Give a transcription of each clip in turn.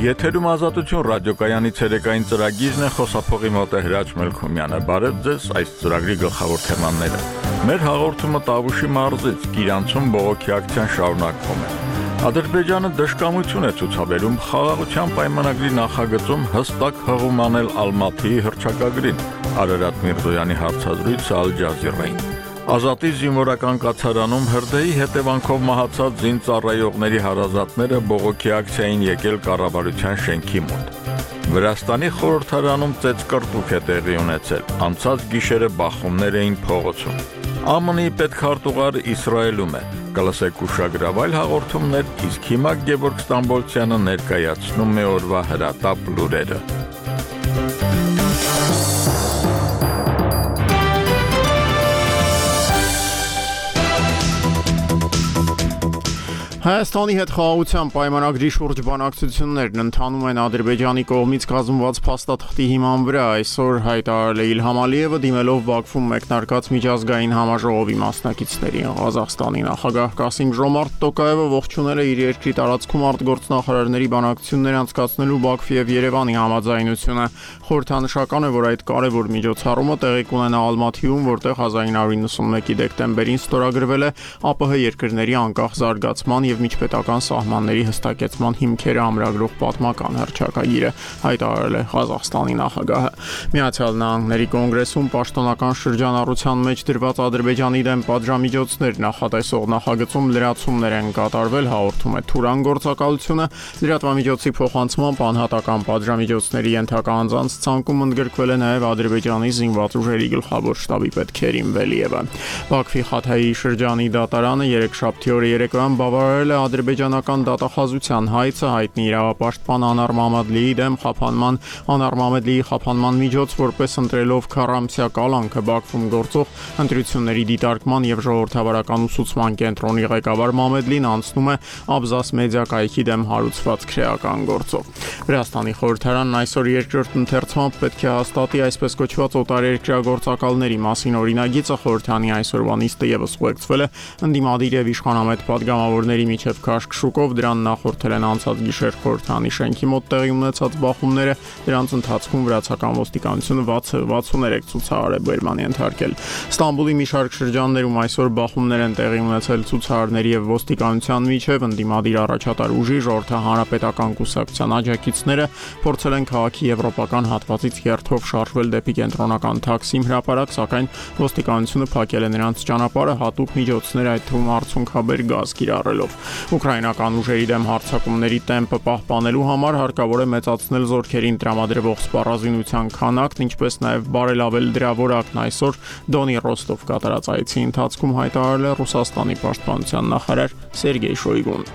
Եթերում ազատություն ռադիոկայանի ցերեկային ծրագիրն է, խոսափողի մոտ է Հրաչ Մելքումյանը։ Բարև ձեզ, այս ծրագրի գլխավոր թեմաները։ Մեր հաղորդումը Տավուշի մարզից Կիրանցում բողոքի ակցիան շարունակվում է։ Ադրբեջանը դժկամություն է ցուցաբերում խաղաղության պայմանագրի նախագծում հստակ հղում անել Ալմաթիի հռչակագրին, Արարատ Միրզոյանի հարցազրույցը Ալ Ջազիրային։ Ազատի զինվորական կացարանում հրդեհի հետևանքով մահացած զինծառայողների հարազատները բողոքի ակցիային եկել կառավարության շենքի մոտ։ Վրաստանի խորհրդարանում ծեծկռտուք է տեղի ունեցել, անցած գիշերը բախումներ էին փողոցում։ ԱՄՆ-ի պետքարտուղար Իսրայելում է, կլսեք ուշագրավայր հաղորդումներ, իսկ հիմա Գևորգ Ստամբոլցյանը ներկայացնում է օրվա հրատապ լուրերը։ Հայաստանի հետ խաղաղության պայմանագրի շուրջ բանակցություններն ընթանում են Ադրբեջանի կողմից կազմված փաստաթղթի հիման վրա, այսօր հայտարարել է Իլհամ Ալիևը դիմելով Բաքվում մեկնարկած միջազգային համաժողովի մասնակիցներին։ Ղազախստանի նախագահ Կասիմ Ժոմարտ Տոկաևը ողջունել է իր երկրի տարածքում արտգործնախարարների բանակցություններ անցկացնելու Բաքվի եւ Երևանի համաձայնությունը։ Խորհրդանշական է, որ այդ կարևոր միջոցառումը տեղի կունենա Ալմաթիում, որտեղ 1991-ի դեկտեմբերին ստորագրվել է ԱՊՀ երկրների անկախ զարգացման եւ միջպետական սահմանների հստակեցման հիմքերը ամրագրող պատմական հռչակագիրը, հայտարարել է Ղազախստանի նախագահը։ Միացյալ Նահանգների կոնգրեսում պաշտոնական շրջանառության մեջ դրված Ադրբեջանի դեմ պատժամիջոցներ նախատեսող նախագծում լրացումներ են կատարվել, հաղորդում է Թուրան գործակալությունը։ Լրատվամիջոցի փոխանցմամբ անհատական պատժամիջոցների ենթակա անձանց ցանկում ընդգրկվել է նաև Ադրբեջանի զինված ուժերի գլխավոր շտաբի պետ Քերիմ Վելիևը։ Բաքվի Խաթայի շրջանի դատարանը երեքշաբթի օրը երեկոյան բավարարել է ադրբեջանական դատախազության հայցը հայտնի իրավապաշտպան Անար Մամադլիի դեմ խափանման Անար Մամադլիի խափանման միջոց, որպես ընտրելով քառամսյա կալանքը Բաքվում գործող ընտրությունների դիտարկման եւ ժողովրդավարական ուսուցման կենտրոնի ղեկավար Մամադլին անցնում է Աբզաս մեդիա կայքի դեմ հարուցված քրեական գործով։ Վրաստանի խորհրդարանն այսօր երկրորդ ընթերցմամբ պետք է հաստատի այսպես կոչված օտարերկրյա գործակալների մասին օրինագիծը։ Խորհրդանի այսօրվա նիստը եւս ուղեկցվել է ընդդիմադիր եւ իշխանամետ պատգամավորների միջև քաշքշուկով, դրան նախորդել են անցած գիշեր խորհրդանի շենքի մոտ տեղի ունեցած բախումները, դրանց ընթացքում վրացական ոստիկանությունը 63 ցուցահար է բերման ենթարկել։ Ստամբուլի մի շարք շրջաններում այսօր բախումներ են տեղի ունեցել ցուցահարների եւ ոստիկանության միջև, ընդդիմադիր առաջատար ուժի ժողովրդահանրապետական կուսակցության աջակիցները փորձել են քաղաքի եվրոպական հատվածից երթով շարժվել դեպի կենտրոնական Թաքսիմ հրապարակ, սակայն ոստիկանությունը փակել է նրանց ճանապարհը հատուկ միջոցներ, այդ թվում արցունքաբեր գազ կիրառելով։ Ուկրաինական ուժերի դեմ հարձակումների տեմպը պահպանելու համար հարկավոր է մեծացնել զորքերին տրամադրվող սպառազինության քանակն, ինչպես նաև բարելավել դրա որակն, այսօր Դոնի Ռոստով կատարած այցի ընթացքում հայտարարել է Ռուսաստանի պաշտպանության նախարար Սերգեյ Շոյգուն։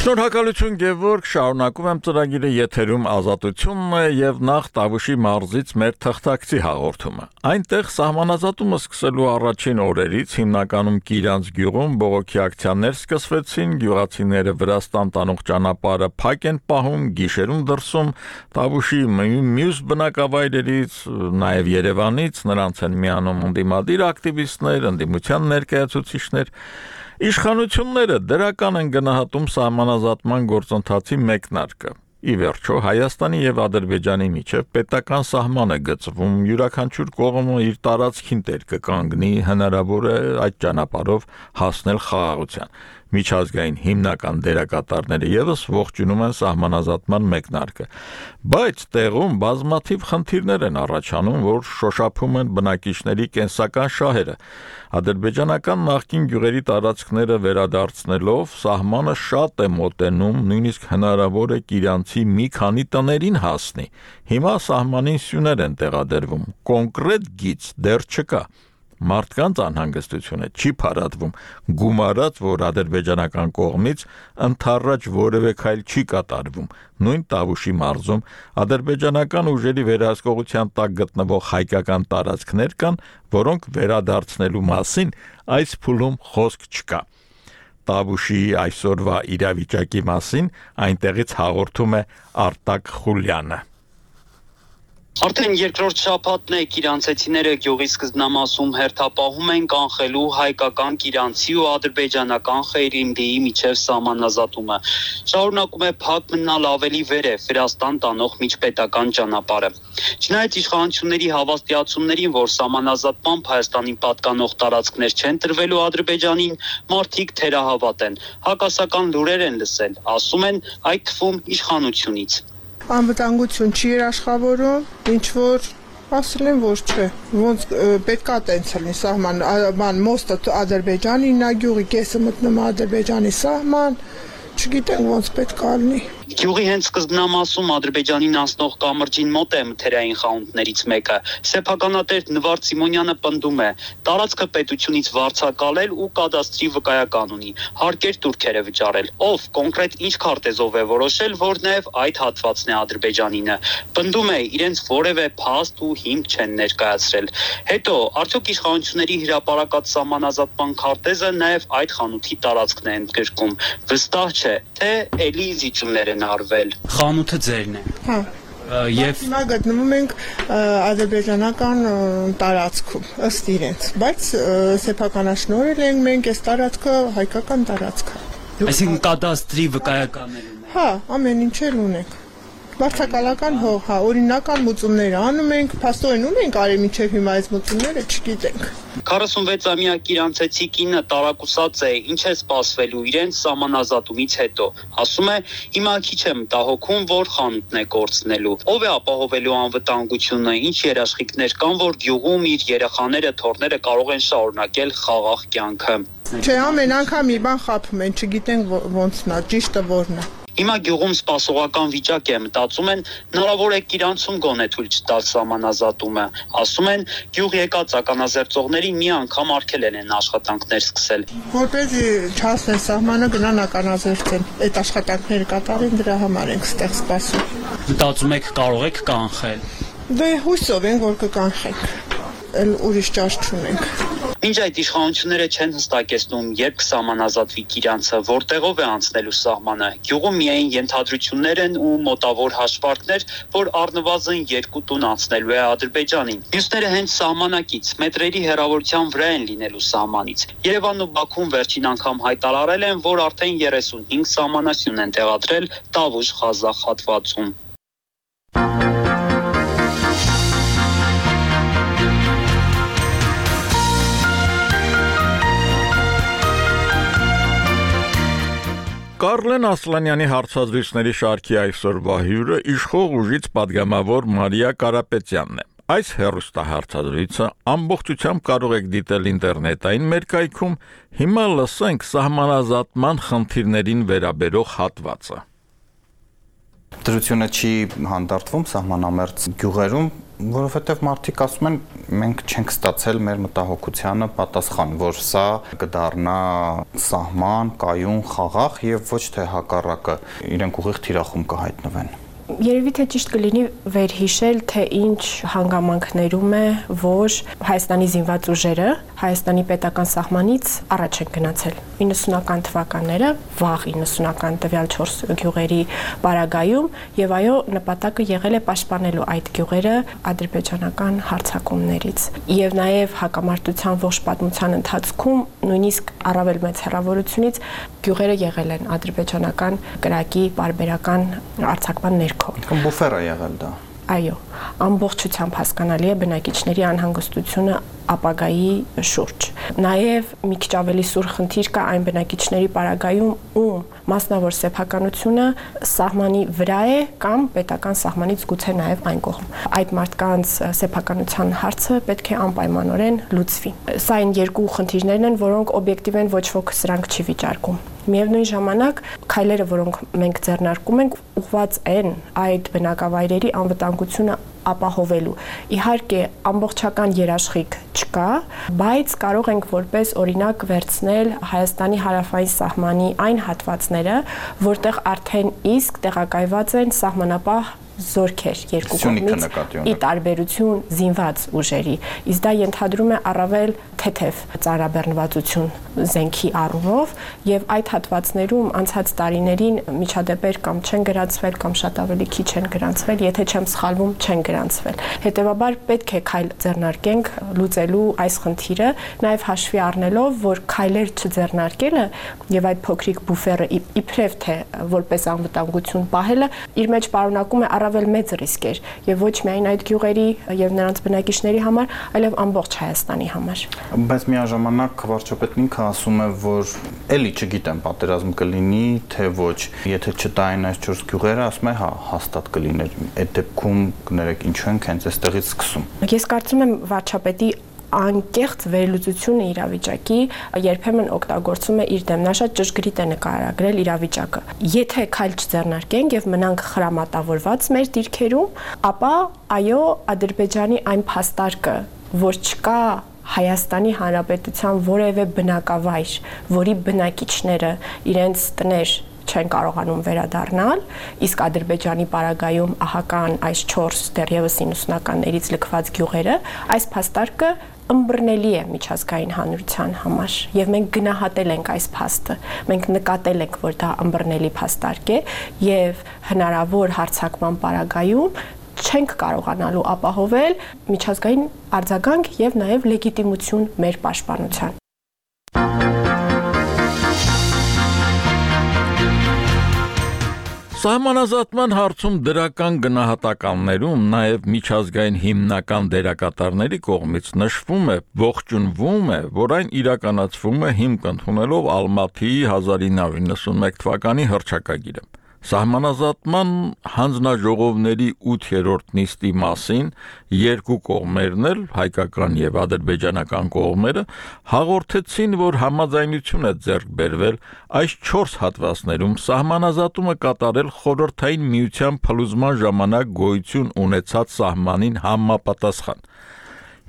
Շնորհակալություն Գևորգ, շարունակում եմ ծրագիրը, եթերում ազատությունն է եւ նախ Տավուշի մարզից մեր թղթակցի հաղորդումը։ Այնտեղ սահմանազատումը սկսելու առաջին օրերից հիմնականում Կիրանց գյուղում բողոքի ակցիաներ սկսվեցին, գյուղացիները Վրաստան տանող ճանապարհը փակ են պահում, գիշերում դրսում Տավուշի մյուս բնակավայրերից, նաեւ Երևանից, նրանց են միանում ընդդիմադիր ակտիվիստներ, ընդդիմության ներկայացուցիչներ։ Իշխանությունները դրական են գնահատում սահմանազատման գործընթացի մեկնարկը։ Ի վերջո Հայաստանի եւ Ադրբեջանի միջև պետական սահման է գծվում, յուրաքանչյուր կողմը իր տարածքին տեր կկանգնի, հնարավոր է այդ ճանապարհով հասնել խաղաղության։ Միջազգային հիմնական դերակատարները եւս ողջունում են սահմանազատման մեկնարկը, բայց տեղում բազմաթիվ խնդիրներ են առաջանում, որ շոշափում են բնակիչների կենսական շահերը։ Ադրբեջանական նախկին գյուղերի տարածքները վերադարձնելով սահմանը շատ է մոտենում, նույնիսկ հնարավոր է Կիրանցի մի քանի տներին հասնի։ Հիմա սահմանին սյուներ են տեղադրվում, կոնկրետ գիծ դեռ չկա։ Մարդկանց անհանգստությունը չի փարատվում, գումարած, որ ադրբեջանական կողմից ընդառաջ որևէ քայլ չի կատարվում։ Նույն Տավուշի մարզում ադրբեջանական ուժերի վերահսկողության տակ գտնվող հայկական տարածքներ կան, որոնք վերադարձնելու մասին այս փուլում խոսք չկա։ Տավուշի այսօրվա իրավիճակի մասին այնտեղից հաղորդում է Արտակ Խուլյանը։ Արդեն երկրորդ շաբաթն է կիրանցեցիները գյուղի սկզբնամասում հերթապահում են կանխելու հայկական կիրանցի ու ադրբեջանական խեյրիմդիի միջև սահմանազատումը։ Շարունակում է փակ մնալ ավելի վերև Վրաստան տանող միջպետական ճանապարհը։ Չնայած իշխանությունների հավաստիացումներին, որ սահմանազատմամբ Հայաստանին պատկանող տարածքներ չեն տրվելու Ադրբեջանին, մարդիկ թերահավատ են։ Հակասական լուրեր են լսել, ասում են այդ թվում իշխանությունից։ Անվտանգություն չի երաշխավորում, ինչ որ ասել են, որ չէ, ոնց պետքա տենց լինի սահման, մոստը Ադրբեջանին, նա գյուղի կեսը մտնում Ադրբեջանի սահման, չգիտեմ ոնց պետքա լինի։ Գյուղի հենց սկզբնամասում Ադրբեջանին անցնող կամրջին մոտ է մթերային խանութներից մեկը։ Սեփականատեր Նվարդ Սիմոնյանը պնդում է, տարածքը պետությունից վարձակալել ու կադաստրի վկայական ունի, հարկեր турքերը վճարել։ Ով կոնկրետ ինչ քարտեզով է որոշել, որ նաև այդ հատվածն է Ադրբեջանինը։ Պնդում է, իրենց որևէ փաստ ու հիմք չեն ներկայացրել։ Հետո, արդյոք իշխանությունների հրապարակած սահմանազատման քարտեզը նաև այդ խանութի տարածքն է ընդգրկում։ Վստահ չէ, թե էլի զիջումներ են արվել։ Խանութը ձերն է։ Հա։ Եվ հիմա գտնվում ենք ադրբեջանական տարածքում, ըստ իրենց, բայց սեփականաշնորհել ենք մենք այս տարածքը հայկական տարածք է։ Այսինքն կադաստրի վկայականներ ունենք։ Հա, ամեն ինչ էլ ունենք։ Վարձակալական հող, հա, օրինական մուծումներ անում ենք, փաստորեն ունենք արի մինչև հիմա այս մուծումները չգիտենք։ 46-ամյա կիրանցեցի կինը տարակուսած է, ինչ է սպասվելու իրենց սահմանազատումից հետո։ Ասում է, հիմա քիչ եմ մտահոգում, որ խանութն է կորցնելու։ Ով է ապահովելու անվտանգությունը, ինչ երաշխիքներ կան, որ գյուղում իր երեխաները, թոռները կարող են շարունակել խաղաղ կյանքը։ Չէ, ամեն անգամ մի բան խաբում են, չգիտենք ոնցն է, ճիշտը որն է։ Հիմա գյուղում սպասողական վիճակ է, մտածում են, հնարավոր է կիրանցում գոնե թույլ չտալ սահմանազատումը։ Ասում են, գյուղ եկած ականազերծողներին մի անգամ արգելել են աշխատանքներ սկսել։ Որպեսզի չհասնեն սահմանը գնան ականազերծեն, այդ աշխատանքները կատարեն, դրա համար ենք ստեղ սպասում։ Մտածում եք կարող եք կանխել։ Դե հույսով ենք, որ կկանխենք, էլ ուրիշ ճաշ չունենք։ Մինչ այդ իշխանությունները չեն հստակեցնում, երբ կսահմանազատվի կիրանցը, որտեղով է անցնելու սահմանը։ Գյուղում միայն ենթադրություններ են ու մոտավոր հաշվարկներ, որ առնվազն 2 տուն անցնելու է Ադրբեջանին։ Մյուսները հենց սահմանակից մետրերի հեռավորության վրա են լինելու սահմանից։ Երևանն ու Բաքուն վերջին անգամ հայտարարել են, որ արդեն 35 սահմանասյուն են տեղադրել Տավուշ-Ղազախ հատվածում։ Կարլեն Ասլանյանի հարցազրույցների շարքի այսօրվա հյուրը իշխող ուժից պատգամավոր Մարիա Կարապետյանն է։ Այս հեռուստահարցազրույցը ամբողջությամբ կարող եք դիտել ինտերնետային մերկայքում, հիմա լսենք սահմանազատման խնդիրներին վերաբերող հատվածը։ Դրությունը չի հանդարտվում սահմանամերձ գյուղերում, որովհետև մարդիկ ասում են, մենք չենք ստացել մեր մտահոգությանը պատասխան, որ սա կդառնա սահման, կայուն, խաղաղ եւ ոչ թե հակառակը, իրենք ուղիղ թիրախում կհայտնվեն։ Երևի թե ճիշտ կլինի վերհիշել, թե ինչ հանգամանքներում է, որ Հայաստանի զինված ուժերը Հայաստանի պետական սահմանից առաջ են գնացել 90-ական թվականները, վաղ 90-ական տվյալ 4 գյուղերի պարագայում, եւ այո, նպատակը եղել է պաշտպանելու այդ գյուղերը ադրբեջանական հարձակումներից։ Եվ նաեւ հակամարտության ողջ պատմության ընթացքում նույնիսկ առավել մեծ հեռավորությունից գյուղերը եղել են ադրբեջանական կրակի պարբերական արձակման ներքո։ Բուֆեր է եղել դա։ Այո, ամբողջությամբ հասկանալի է բնակիչների անհանգստությունը ապագայի շուրջ։ Նաև մի քիչ ավելի սուր խնդիր կա այն բնակիչների պարագայում, ում մասնավոր սեփականությունը սահմանի վրա է կամ պետական սահմանից գուցե նաև այն կողմ։ Այդ մարդկանց սեփականության հարցը պետք է անպայմանորեն լուծվի։ Սա այն երկու խնդիրներն են, որոնք օբյեկտիվ են, ոչ ոք սրանք չի վիճարկում։ Միևնույն ժամանակ քայլերը, որոնք մենք ձեռնարկում ենք, ուղղված են այդ բնակավայրերի անվտանգությունը ապահովելու։ Իհարկե, ամբողջական երաշխիք չկա, բայց կարող ենք որպես օրինակ վերցնել Հայաստանի հարավային սահմանի այն հատվածները, որտեղ արդեն իսկ տեղակայված են սահմանապահ զորքեր երկու կողմից ի տարբերություն զինված ուժերի, իսկ դա ենթադրում է առավել թեթև ծանրաբեռնվածություն զենքի առումով եւ այդ հատվածներում անցած տարիներին միջադեպեր կամ չեն գրանցվել կամ շատ ավելի քիչ են գրանցվել, եթե չեմ սխալվում, չեն գրանցվել։ Հետևաբար պետք է քայլ ձեռնարկենք լուծելու այս խնդիրը, նաեւ հաշվի առնելով, որ քայլեր չձեռնարկելը եւ այդ փոքրիկ բուֆերը իբրև թե որպես անվտանգություն պահելը իր մեջ պարունակում է առավել մեծ ռիսկեր եւ ոչ միայն այդ գյուղերի եւ նրանց բնակիչների համար, այլև ամբողջ Հայաստանի համար։ Բայց միաժամանակ վարչապետն ինքը ասում է, որ էլի չգիտեմ պատերազմ կլինի, թե ոչ։ Եթե չտային այս 4 գյուղերը, ասում է, հա, հաստատ կլիներ։ Այդ դեպքում կներեք ինչու ենք հենց այստեղից սկսում։ Ես կարծում եմ վարչապետի անկեղծ վերլուծությունը իրավիճակի երբեմն օգտագործում է իր դեմ, նա շատ ճշգրիտ է նկարագրել իրավիճակը։ Եթե քայլ չձեռնարկենք եւ մնանք խրամատավորված մեր դիրքերում, ապա այո, Ադրբեջանի այն փաստարկը, որ չկա Հայաստանի Հանրապետության որևէ բնակավայր, որի բնակիչները իրենց տներ չեն կարողանում վերադառնալ, իսկ Ադրբեջանի պարագայում ահական այս 4 դեռևս 90-ականներից լքված գյուղերը, այս փաստարկը ըմբռնելի է միջազգային հանրության համար եւ մենք գնահատել ենք այս փաստը, մենք նկատել ենք, որ դա ըմբռնելի փաստարկ է եւ հնարավոր հարձակման պարագայում չենք կարողանալու ապահովել միջազգային արձագանք եւ նաեւ լեգիտիմություն մեր պաշտպանության։ Սահմանազատման հարցում դրական գնահատականներում նաև միջազգային հիմնական դերակատարների կողմից նշվում է, ողջունվում է, որ այն իրականացվում է հիմք ընդունելով Ալմաթիի 1991 թվականի հռչակագիրը։ Սահմանազատման հանձնաժողովների 8-րդ նիստի մասին երկու կողմերն էլ, հայկական եւ ադրբեջանական կողմերը, հաղորդեցին, որ համաձայնություն է ձեռք բերվել այս 4 հատվածներում սահմանազատումը կատարել խորհրդային միության փլուզման ժամանակ գոյություն ունեցած սահմանին համապատասխան։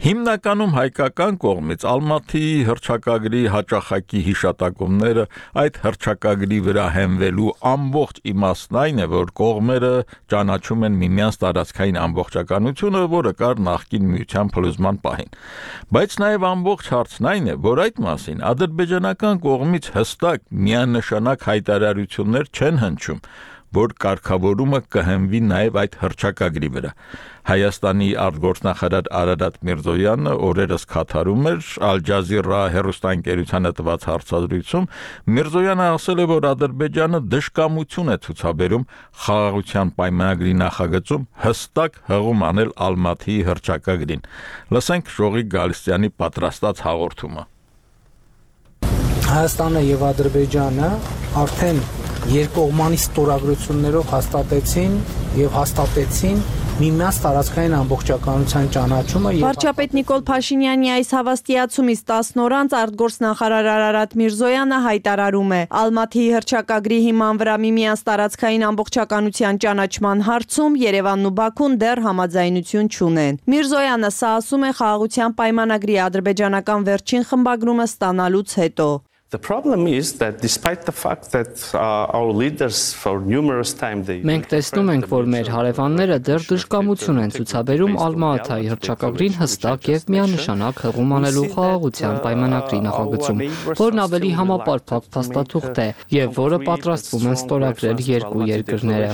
Հիմնականում հայկական կողմից Ալմաթիի հռչակագրի հաճախակի հիշատակումները այդ հռչակագրի վրա հենվելու ամբողջ իմաստն այն է, որ կողմերը ճանաչում են միմյանց տարածքային ամբողջականությունը, որը կար նախկին միության փլուզման պահին։ Բայց նաև ամբողջ հարցն այն է, որ այդ մասին ադրբեջանական կողմից հստակ միանշանակ հայտարարություններ չեն հնչում, որ կարգավորումը կհենվի նաև այդ հռչակագրի վրա։ Հայաստանի արտգործնախարար Արարատ Միրզոյանը օրերս Քաթարում էր Ալ-Ջազիրա հեռուստաընկերությանը տված հարցազրույցում Միրզոյանը ասել է, որ Ադրբեջանը դժկամություն է ցուցաբերում խաղաղության պայմանագրի նախագծում հստակ հղում անել Ալմաթիի հռչակագրին։ Լսենք Ժողիկ Գալստյանի պատրաստած հաղորդումը։ Հայաստանը եւ Ադրբեջանը արդեն երկկողմանի ստորագրություններով հաստատեցին միմյանց տարածքային ամբողջականության ճանաչումը։ Վարչապետ Նիկոլ Փաշինյանի այս հավաստիացումից 10 օր անց արտգործնախարար Արարատ Միրզոյանը հայտարարում է. Ալմաթիի հռչակագրի հիման վրա միմյանց տարածքային ամբողջականության ճանաչման հարցում Երևանն ու Բաքուն դեռ համաձայնություն չունեն։ Միրզոյանը սա ասում է խաղաղության պայմանագրի ադրբեջանական վերջին խմբագրումը ստանալուց հետո։ The problem is that despite the fact that our leaders for numerous time they Մենք տեսնում ենք, որ մեր հարևանները դեռ դժկամություն են ցուցաբերում Ալմաթիի հռչակագրին հստակ եւ միանշանակ հղում անելու խաղաղության պայմանագրի նախագծում, որն ավելի համապարփակ փաստաթուղթ է եւ որը պատրաստվում են ստորագրել երկու երկրները։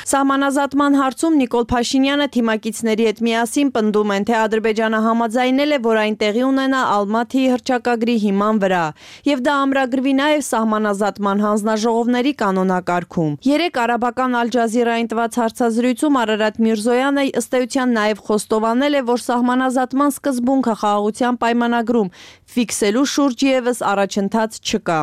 Սահմանազատման հարցում Նիկոլ Փաշինյանը թիմակիցների հետ միասին պնդում են, թե Ադրբեջանը համաձայնել է, որ այն տեղի ունենա Ալմաթիի հռչակագրի հիման վրա, եւ դա ամրագրվի նաեւ սահմանազատման հանձնաժողովների կանոնակարգում։ Երեկ արաբական Ալ-Ջազիրային տված հարցազրույցում Արարատ Միրզոյանը ըստ էության նաեւ խոստովանել է, որ սահմանազատման սկզբունքը խաղաղության պայմանագրում ֆիքսելու շուրջ եւս առաջընթաց չկա։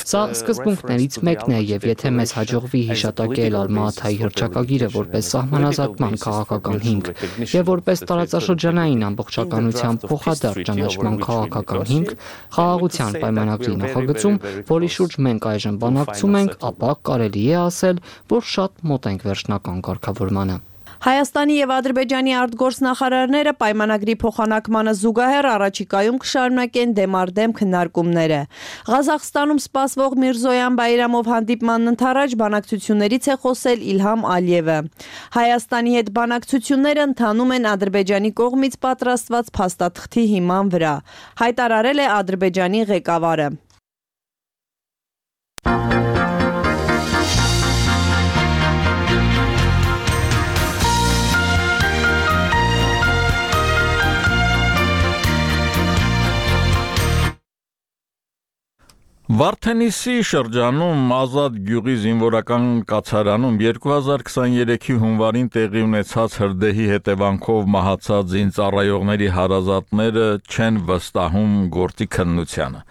Սա սկզբունքներից մեկն է եւ եթե մեզ հաջողվի հիշատակել Ալմաթիի հռչակագիրը որպես սահմանազատման քաղաքական հիմք եւ որպես տարածաշրջանային ամբողջականության փոխադարձ ճանաչման քաղաքական հիմք, խաղաղության պայմանագրի նախագծում, որի շուրջ մենք այժմ բանակցում ենք, ապա կարելի է ասել, որ շատ մոտ ենք վերջնական կարգավորմանը։ Հայաստանի եւ Ադրբեջանի արտգործնախարարները պայմանագրի փոխանակմանը զուգահեռ առաջիկայում կշարունակեն դեմարդեմ քննարկումները։ Ղազախստանում սպասվող Միրզոյան Բայրամով հանդիպմանն ընդառաջ բանակցություններից է խոսել Իլհամ Ալիևը։ Հայաստանի հետ բանակցությունները ընթանում են Ադրբեջանի կողմից պատրաստված փաստաթղթի հիման վրա, հայտարարել է Ադրբեջանի ղեկավարը։ Վարդենիսի շրջանում Ազատ գյուղի զինվորական կացարանում 2023-ի հունվարին տեղի ունեցած հրդեհի հետևանքով մահացած զինծառայողների հարազատները չեն վստահում գործի քննությանը։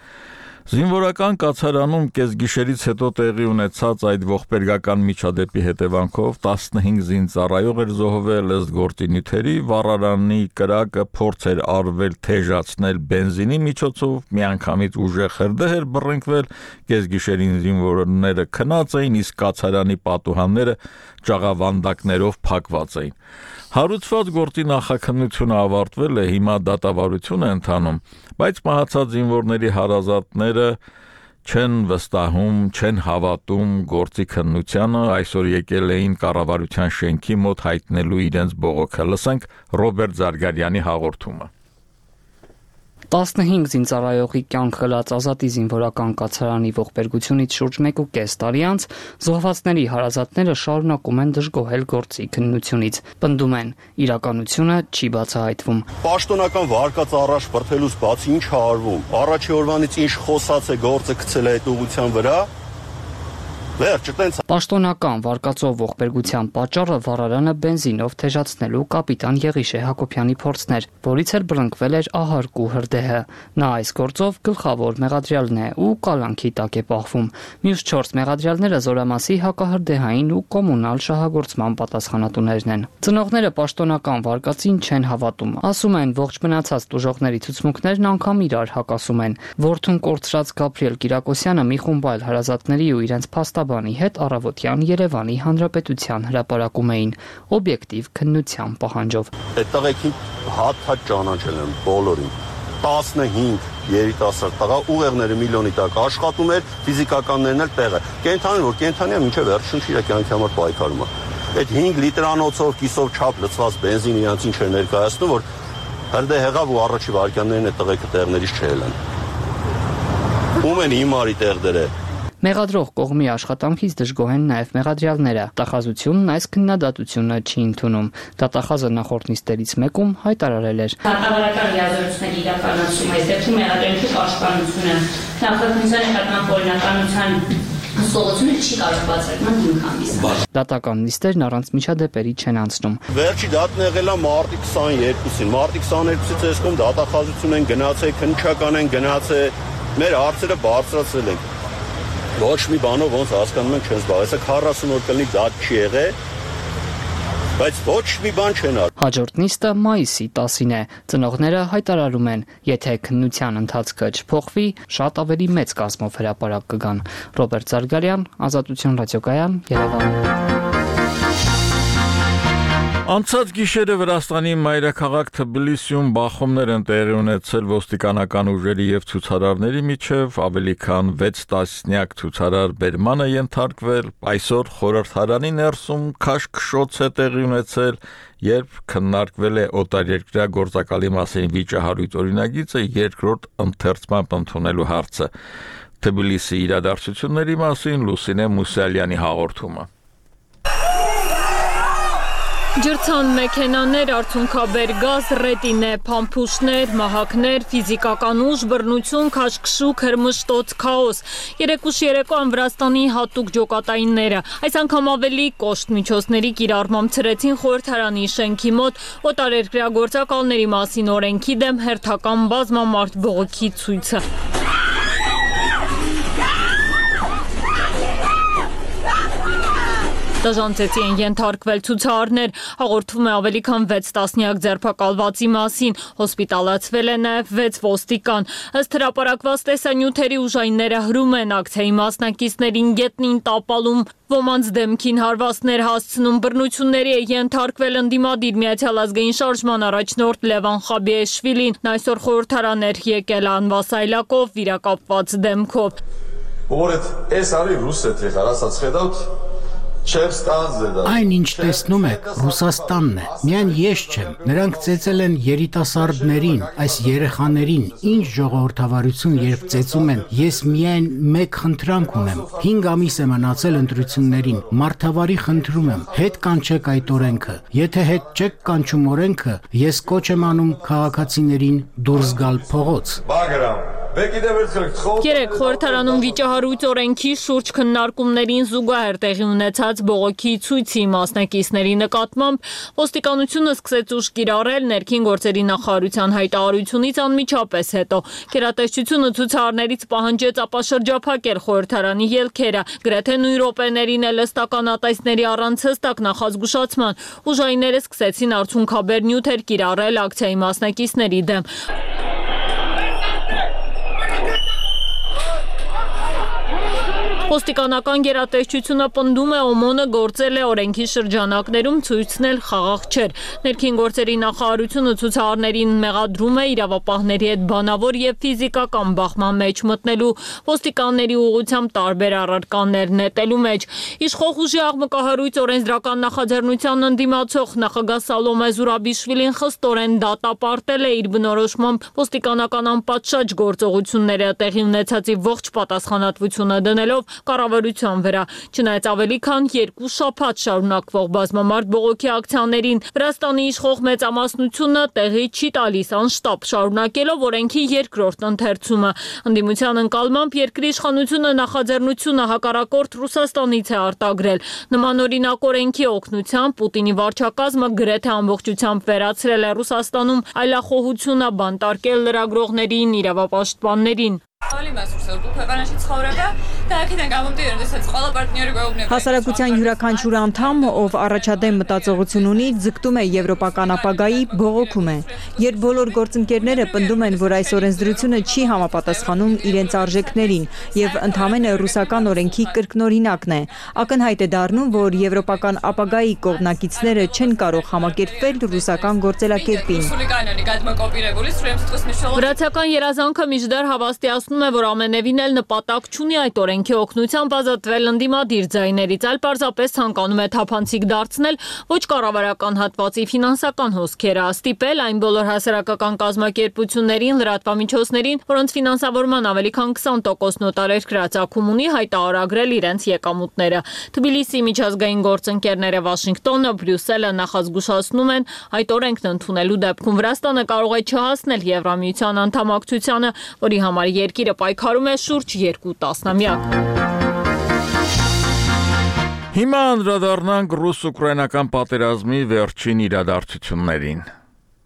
Զինվորական կացարանում կեսգիշերից հետո տեղի ունեցած այդ ողբերգական միջադեպի հետևանքով 15 զինծառայող էր զոհվել ըստ գործի նյութերի, վառարանի կրակը փորձ էր արվել թեժացնել բենզինի միջոցով, միանգամից ուժեղ հրդեհ էր բռնկվել, կեսգիշերին զինվորները քնած էին, իսկ կացարանի պատուհանները ճաղավանդակներով փակված էին։ Հարուցված գործի նախաքննությունը ավարտվել է, հիմա դատավարություն է ընթանում, բայց մահացած զինվորների հարազատները չեն վստահում, չեն հավատում գործի քննությանը, այսօր եկել էին կառավարության շենքի մոտ հայտնելու իրենց բողոքը։ Լսենք Ռոբերտ Զարգարյանի հաղորդումը։ 15 զինծառայողի կյանք խլած Ազատի զինվորական կացարանի ողբերգությունից շուրջ 1.5 տարի անց զոհվածների հարազատները շարունակում են դժգոհել գործի քննությունից։ Պնդում են, իրականությունը չի բացահայտվում։ Պաշտոնական վարկած առաջ բրթելուց բացի ինչ է արվում։ Առաջի օրվանից ինչ խոսած է գործը գցել է այդ ուղղության վրա։ Պաշտոնական վարկածով ողբերգության պատճառը վառարանը բենզինով թեժացնելու կապիտան Եղիշե Հակոբյանի փորձն էր, որից էր բռնկվել էր ահարկու հրդեհը։ Նա այս գործով գլխավոր մեղադրյալն է ու կալանքի տակ է պահվում։ Մյուս 4 մեղադրյալները Զորամասի հակահրդեհային ու կոմունալ շահագործման պատասխանատուներն են։ Ծնողները պաշտոնական վարկածին չեն հավատում։ Ասում են, ողջ մնացած տուժողների ցուցմունքներն անգամ իրար հակասում են։ Որդուն կորցրած Գաբրիել Կիրակոսյանը մի խումբ այլ հարազատների ու իրենց փաստաբանի հետ առավոտյան Երևանի Հանրապետության հրապարակում էին օբյեկտիվ քննության պահանջով։ Այդ տղեկին հատ ճանաչել են բոլորին։ 15 երիտասարդ տղա ուղեղները միլիոնի տակ աշխատում էր, ֆիզիկականներն էլ տեղը։ Կենթանին որ կենթանիա մինչև վերջին իր կյանքի համար պայքարում է։ Այդ 5 լիտրանոցով կիսով չափ լցված բենզինը իրանց ինչ էր ներկայացնում, որ հրդեհ եղավ ու առաջի վարքյաններն այդ տղեկը տեղներից չելան։ Ում են հիմարի տեղերը։ Մեղադրող կողմի աշխատանքից դժգոհ են նաև մեղադրյալները։ Դատախազությունն այս քննադատությունը չի ընդունում։ Դատախազը նախորդ նիստերից մեկում հայտարարել էր. Դատավարական լիազորությունների իրականացում այս դեպքում մեղադրյալի պաշտպանությունը նախաքննության նկատմամբ օրինականության հսկողությունը չի կարող բացառական հիմք հանդիսանալ։ Դատական նիստերն առանց միջադեպերի չեն անցնում։ Վերջի դատն եղել է մարտի 22-ին։ Մարտի 22-ից այսքան դատախազություն են գնացել, քննչական են գնացել, մեր հարցերը բարձրացրել են։ Ոչ մի բանով ոնց հասկանում ենք չեն զբաղվել, այսա 40 օր կլինի դատ չի եղել, բայց ոչ մի բան չեն արել։ Հաջորդ նիստը մայիսի 10-ին է։ Ծնողները հայտարարում են, եթե քննության ընթացքը չփոխվի, շատ ավելի մեծ կազմով հրապարակ կգան։ Ռոբերտ Զարգարյան, Ազատություն ռադիոկայան, Երևան։ Անցած գիշերը Վրաստանի մայրաքաղաք Թբիլիսիում բախումներ են տեղի ունեցել ոստիկանական ուժերի եւ ցուցարարների միջև, ավելի քան 6 տասնյակ ցուցարար բերման է ենթարկվել։ Այսօր խորհրդարանի ներսում քաշքշոց է տեղի ունեցել, երբ քննարկվել է օտարերկրյա գործակալի մասին վիճահարույց օրինագիծը երկրորդ ընթերցմամբ ընդունելու հարցը։ Թբիլիսի իրադարձությունների մասին Լուսինե Մուսալյանի հաղորդումը։ Ջրցան մեքենաներ, արցունքաբեր գազ, ռետինե, փամփուշտներ, մահակներ, ֆիզիկական ուժ, բռնություն, քաշքշուկ, հրմշտոց, քաոս։ Երեկուշ երեկոյան Վրաստանի հատուկ ջոկատայինները այս անգամ ավելի կոշտ միջոցների կիրառմամբ ցրեցին խորհրդարանի շենքի մոտ օտարերկրյա գործակալների մասին օրենքի դեմ հերթական բազմամարդ բողոքի ցույցը։ Դաժանցեցի են ենթարկվել ցուցարարներ, հաղորդվում է ավելի քան 6 տասնյակ ձերբակալվածի մասին, հոսպիտալացվել է նաև 6 ոստիկան։ Ըստ հրապարակված տեսանյութերի ուժայինները հրում են ակցիայի մասնակիցներին գետնին տապալում, ոմանց դեմքին հարվածներ հասցնում, բռնությունների է ենթարկվել ընդդիմադիր Միացյալ ազգային շարժման առաջնորդ Լևան Խաբիեշվիլին, նա այսօր խորհրդարան էր եկել անվասայլակով, վիրակապված դեմքով։ Այն ինչ տեսնում եք, Ռուսաստանն է, միայն ես չեմ, նրանք ծեծել են երիտասարդներին, այս երեխաներին, ինչ ժողովրդավարություն երբ ծեծում են, ես միայն մեկ խնդրանք ունեմ, 5 ամիս է մնացել ընտրություններին, մարդավարի խնդրում եմ, հետ կանչեք այդ օրենքը, եթե հետ չեք կանչում օրենքը, ես կոչ եմ անում քաղաքացիներին դուրս գալ փողոց։ Երեք խորհրդարանում վիճահարույց օրենքի շուրջ քննարկումներին զուգահեռ տեղի ունեցած բողոքի ցույցի մասնակիցների նկատմամբ ոստիկանությունը սկսեց ուժ կիրառել ներքին գործերի նախարարության հայտարարությունից անմիջապես հետո։ Գերատեսչությունը ցուցարարներից պահանջեց ապաշրջափակել խորհրդարանի ելքերը, գրեթե նույն րոպեներին էլ ըստական ատայսների առանց հստակ նախազգուշացման ուժայինները սկսեցին արցունքաբեր նյութեր կիրառել ակցիայի մասնակիցների դեմ։ Ոստիկանական գերատեսչությունը պնդում է ՕՄՕՆ-ը գործել է օրենքի շրջանակներում ցույցնել խաղաղ չէր։ Ներքին գործերի նախարարությունը ցուցարարներին մեղադրում է իրավապահների հետ բանավոր եւ ֆիզիկական բախման մեջ մտնելու, ոստիկանների ուղղությամբ տարբեր առարկաներ նետելու մեջ։ Իշխող ուժի աղմկահարույց օրենսդրական նախաձեռնության ընդդիմացող նախագահ Սալոմե Զուրաբիշվիլին խստորեն դատապարտել է իր բնորոշմամբ ոստիկանական անպատշաճ գործողությունները տեղի ունեցածի ողջ պատասխանատվությունը դնելով կառավարության վրա, չնայած ավելի քան 2 շաբաթ շարունակվող բազմամարդ բողոքի ակցիաներին Վրաստանի իշխող մեծամասնությունը տեղի չի տալիս անշտապ շարունակելով օրենքի երկրորդ ընթերցումը։ Ընդդիմության ընկալմամբ երկրի իշխանությունը նախաձեռնությունը հակառակորդ Ռուսաստանից է արտագրել։ Նմանօրինակ օրենքի օգնությամբ Պուտինի վարչակազմը գրեթե ամբողջությամբ վերացրել է Ռուսաստանում այլախոհությունը բանտարկել լրագրողներին, իրավապաշտպաններին։ Հասարակության յուրաքանչյուր անդամ, ով առաջադեմ մտածողություն ունի, ձգտում է եվրոպական ապագայի, բողոքում է։ Երբ բոլոր գործընկերները պնդում են, որ այս օրենսդրությունը չի համապատասխանում իրենց արժեքներին եւ ընդհանրապես ռուսական օրենքի կրկնօրինակն է, ակնհայտ է դառնում, որ եվրոպական ապագայի կողմնակիցները չեն կարող համակերպվել ռուսական գործելակերպին։ Վրացական երազանքը մինչդեռ հավաստիացնում է, որ ամենևին էլ նպատակ չունի այդ օրենքի օգնությամբ ազատվել ընդդիմադիր ձայներից, այլ պարզապես ցանկանում է թափանցիկ դարձնել ոչ կառավարական հատվածի ֆինանսական հոսքերը, ստիպել այն բոլոր հասարակական կազմակերպություններին, լրատվամիջոցներին, որոնց ֆինանսավորման ավելի քան 20% նոտարերկրյա ծագում ունի, հայտարարագրել իրենց եկամուտները։ Թբիլիսի միջազգային գործընկերները Վաշինգտոնը, Բրյուսելը նախազգուշացնում են, այդ օրենքն ընդունելու դեպքում Վրաստանը կարող է չհասնել Եվրամիության անդամակցությանը, որի համար երկիրը պայքարում է շուրջ 2 տասնամյակ։ Հիմա անդրադառնանք ռուս-ուկրաինական պատերազմի վերջին իրադարձություններին։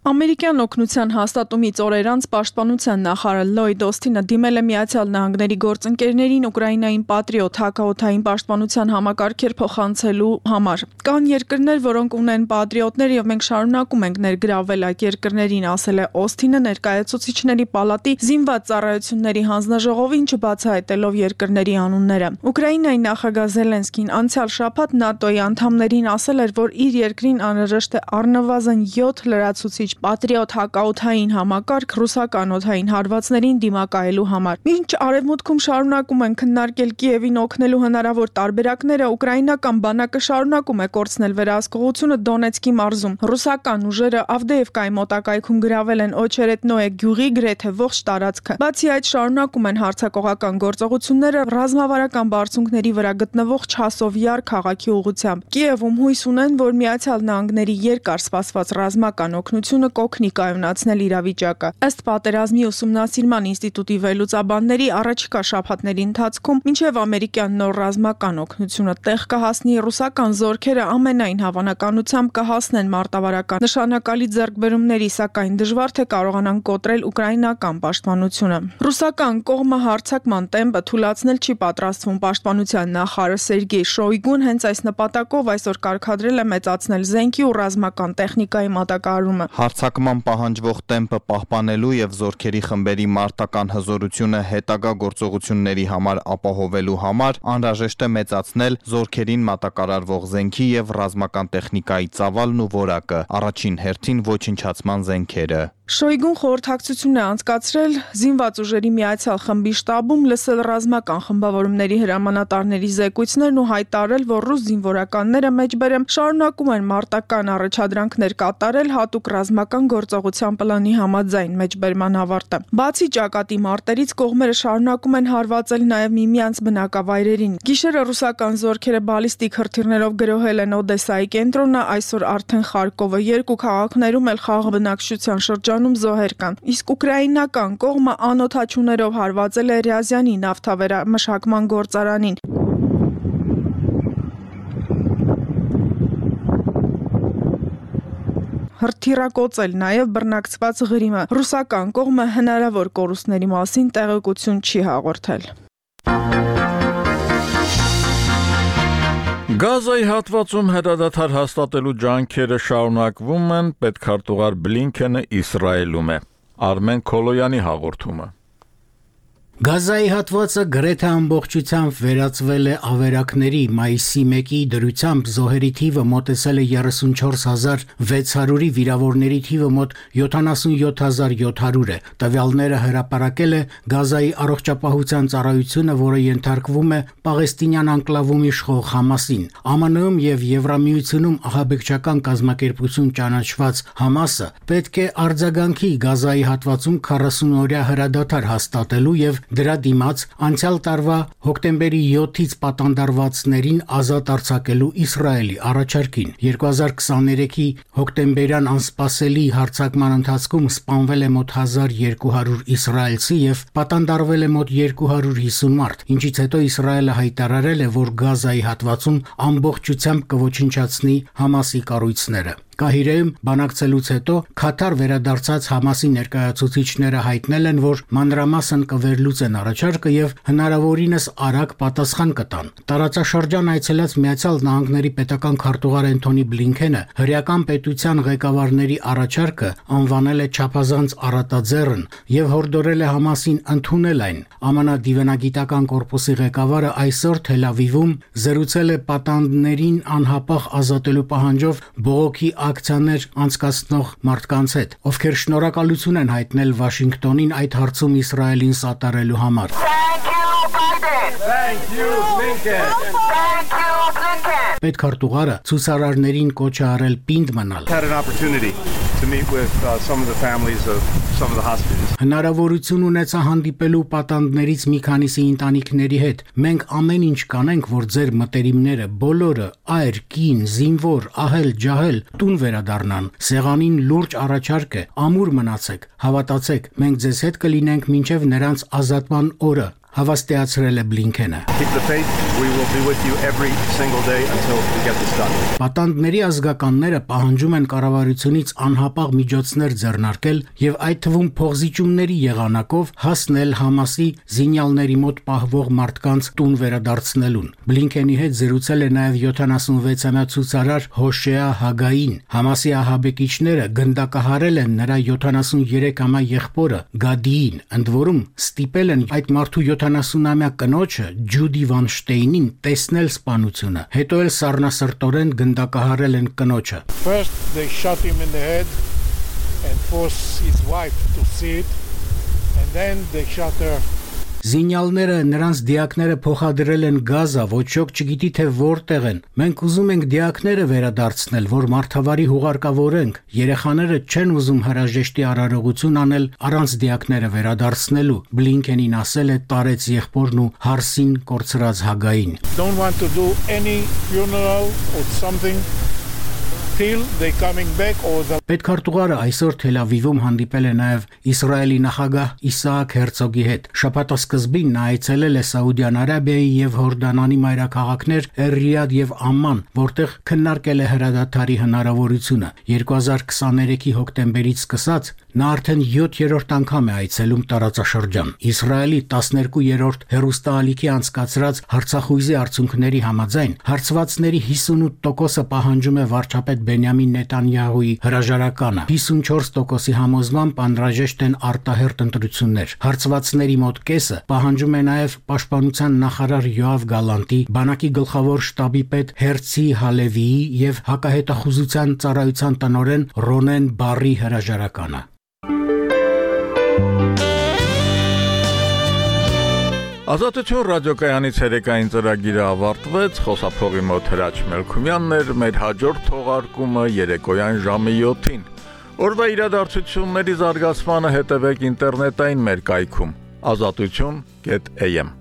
Ամերիկյան օգնության հաստատումից օրեր անց պաշտպանության նախարար Լոյդ Օսթինը դիմել է Միացյալ Նահանգների գործընկերներին Ուկրաինային Պատրիոտ հակաօդային պաշտպանության համակարգեր փոխանցելու համար։ Կան երկրներ, որոնք ունեն պատրիոտներ եւ մենք շարունակում ենք ներգրավել այդ երկրներին, ասել է Օսթինը ներկայացուցիչների պալատի զինված ծառայությունների հանձնաժողովին չբացահայտելով երկրների անունները։ Ուկրաինայի նախագահ Զելենսկին անցյալ շաբաթ ՆԱՏՕ-ի անդամներին ասել էր, որ իր երկրին անհրաժեշտ է առնվազն 7 լրացուցիչ Պատրիոտ հակաօդային համակարգ ռուսական օդային հարվածներին դիմակայելու համար։ Մինչ արևմուտքում շարունակում են քննարկել Կիևին օգնելու հնարավոր տարբերակները, ուկրաինական բանակը շարունակում է կորցնել վերահսկողությունը Դոնեցկի մարզում։ Ռուսական ուժերը Ավդեևկայի մոտակայքում գրավել են Օչերետնոե գյուղի գրեթե ողջ տարածքը։ Բացի այդ, շարունակում են հարձակողական գործողությունները ռազմավարական բարձունքների վրա գտնվող Չասովյար քաղաքի ուղղությամբ։ Կիևում հույս ունեն, որ Միացյալ Նահանգների երկար սպասված ռազմական օգնությունը հաղորդակցությունը կօգնի կայունացնել իրավիճակը։ Ըստ պատերազմի ուսումնասիրման ինստիտուտի վերլուծաբանների առաջիկա շաբաթների ընթացքում մինչև ամերիկյան նոր ռազմական օգնությունը տեղ կհասնի, ռուսական զորքերը ամենայն հավանականությամբ կհասնեն մարտավարական նշանակալի ձեռքբերումների, սակայն դժվար թե կարողանան կոտրել ուկրաինական պաշտպանությունը։ Ռուսական կողմը հարձակման տեմպը թույլատնել չի պատրաստվում։ Պաշտպանության նախարար Սերգեյ Շոյգուն հենց այս նպատակով այսօր կարգադրել է մեծացնել զենքի ու ռազմական տեխնիկայի մատակարարումը։ Հարձակման պահանջվող տեմպը պահպանելու եւ զորքերի խմբերի մարտական հզորությունը հետագա գործողությունների համար ապահովելու համար անհրաժեշտ է մեծացնել զորքերին մատակարարվող զենքի եւ ռազմական տեխնիկայի ծավալն ու որակը, առաջին հերթին ոչնչացման զենքերը։ Շոյգուն խորհրդակցություն է անցկացրել զինված ուժերի միացյալ խմբի շտաբում, լսել ռազմական խմբավորումների հրամանատարների զեկույցներն ու հայտարարել, որ ռուս զինվորականները մեջբերեմ շարունակում են մարտական առաջադրանքներ կատարել հատուկ ռազմական գործողության պլանի համաձայն մեջբերման ավարտը։ Բացի ճակատի մարտերից կողմերը շարունակում են հարվածել նաև միմյանց բնակավայրերին։ Գիշերը ռուսական զորքերը բալիստիկ հրթիռներով գրոհել են Օդեսայի կենտրոնը, այսօր արդեն Խարկովը, երկու քաղաքներում էլ խաղաղ բնակչության շրջանում զոհեր կան։ Իսկ ուկրաինական կողմը անօդաչուներով հարվածել է Ռյազյանի նավթավերամշակման գործարանին։ Հրթիռակոծել նաև բռնակցված Ղրիմը։ Ռուսական կողմը հնարավոր կորուստների մասին տեղեկություն չի հաղորդել։ Գազայի հատվածում հրադադար հաստատելու ջանքերը շարունակվում են, պետքարտուղար Բլինքենը Իսրայելում է։ Արմեն Քոլոյանի հաղորդումը։ Գազայի հատվածը գրեթե ամբողջությամբ վերածվել է ավերակների։ Մայիսի 1-ի դրությամբ զոհերի թիվը մոտեցել է 34600-ի, վիրավորների թիվը մոտ 77700 է։ Տվյալները հրապարակել է Գազայի առողջապահության ծառայությունը, որը ենթարկվում է Պաղեստինյան անկլավում իշխող Համասին։ ԱՄՆ-ում եւ Եվրամիությունում ահաբեկչական կազմակերպություն ճանաչված Համասը պետք է արձագանքի Գազայի հատվածում 40-օրյա հրադադար հաստատելու եւ դրա դիմաց անցյալ տարվա հոկտեմբերի 7-ից պատանդարվածներին ազատ արձակելու Իսրայելի առաջարկին։ 2023-ի հոկտեմբերյան անսպասելի հարձակման ընթացքում սպանվել է մոտ 1200 իսրայելցի եւ պատանդարվել է մոտ 250 մարդ, ինչից հետո Իսրայելը հայտարարել է, որ Գազայի հատվածում ամբողջությամբ կոչնչացնի Համասի կառույցները։ Կահիրեում բանակցելուց հետո Քաթար վերադարձած Համասի ներկայացուցիչները հայտնել են, որ մանրամասն կվերլուծեն առաջարկը եւ հնարավորինս արագ պատասխան կտան։ Տարածաշրջան այցելած Միացյալ Նահանգների պետական քարտուղար Էնթոնի Բլինքենը հրեական պետության ղեկավարների առաջարկը անվանել է չափազանց առատաձեռն եւ հորդորել է Համասին ընդունել այն։ ԱՄՆ դիվանագիտական կորպուսի ղեկավարը այսօր Թել Ավիվում զրուցել է պատանդներին անհապաղ ազատելու պահանջով բողոքի ակցիաներ անցկացնող մարդկանց հետ, ովքեր շնորհակալություն են հայտնել Վաշինգտոնին այդ հարցում Իսրայելին սատարելու համար։ Պետքարտուղարը ցուցարարներին կոչ է արել պինդ մնալ։ Հնարավորություն ունեցա հանդիպելու պատանդներից մի քանիսի ընտանիքների հետ։ Մենք ամեն ինչ կանենք, որ ձեր մտերիմները բոլորը այր, կին, զինվոր, ահել, ջահել տուն վերադառնան։ Սեղանին լուրջ առաջարկ է, ամուր մնացեք, հավատացեք, մենք ձեզ հետ կլինենք մինչև նրանց ազատման օրը, հավաստիացրել է Բլինքենը։ Պատանդների ազգականները պահանջում են կառավարությունից անհապաղ միջոցներ ձեռնարկել եւ այդ թվում փողզիջումների եղանակով հասնել Համասի զինյալների մոտ պահվող մարդկանց տուն վերադարձնելուն։ Բլինքենի հետ զրուցել է նաեւ 76-ամյա ցուցարար Հոշեա Հագային։ Համասի ահաբեկիչները գնդակահարել են նրա 73-ամյա եղբորը Գադիին, ընդ որում ստիպել են այդ մարդու 70-ամյա կնոջը Ջուդի Վանշտեյնին տեսնել սպանությունը, հետո էլ սառնասրտորեն գնդակահարել են կնոջը։ First they shot him in the head and forced his wife to see it, and then they shot her. Զինյալները նրանց դիակները փոխադրել են Գազա, ոչ ոք չգիտի թե որտեղ են։ Մենք ուզում ենք դիակները վերադարձնել, որ մարդավարի հուղարկավորենք։ Երեխաները չեն ուզում հրաժեշտի արարողություն անել առանց դիակները վերադարձնելու։ Բլինքենին ասել է տարեց եղբորն ու հարսին կորցրած Հագային։ Don't want to do any funeral or something till they coming back or the Պետքարտուղարը այսօր Թել Ավիվում հանդիպել է նաև Իսրայելի նախագահ Իսահակ Հերցոգի հետ։ Շաբաթի սկզբին նա այցելել է Սաուդյան Արաբիայի եւ Հորդանանի մայրաքաղաքներ Ռիադ եւ Ամման, որտեղ քննարկել է հրադադարի հնարավորությունը։ 2023-ի հոկտեմբերից սկսած նա արդեն 7-րդ անգամ է այցելում տարածաշրջան։ Իսրայելի 12-րդ հերոստալիքի անցկացրած հարցախույզի արդյունքների համաձայն հարցվածների 58%-ը պահանջում է վարչապետ Բենյամին Նետանյահուի հրաժարականը։ 54%-ի համոզմամբ անհրաժեշտ են արտահերթ ընտրություններ։ Հարցվածների մոտ կեսը պահանջում է նաև պաշտպանության նախարար Յոավ Գալանտի, բանակի գլխավոր շտաբի պետ Հերցի Հալևիի եւ հակահետախուզության ծառայության տնօրեն Ռոնեն Բարի հրաժարականը։ Ազատություն ռադիոկայանի ցերեկային ծրագիրը ավարտվեց, խոսափողի մոտ Հրաչ Մելքումյանն էր, մեր հաջորդ թողարկումը երեկոյան ժամը 7-ին։ Օրվա իրադարձությունների զարգացմանը հետևեք ինտերնետային մեր կայքում azatutun.am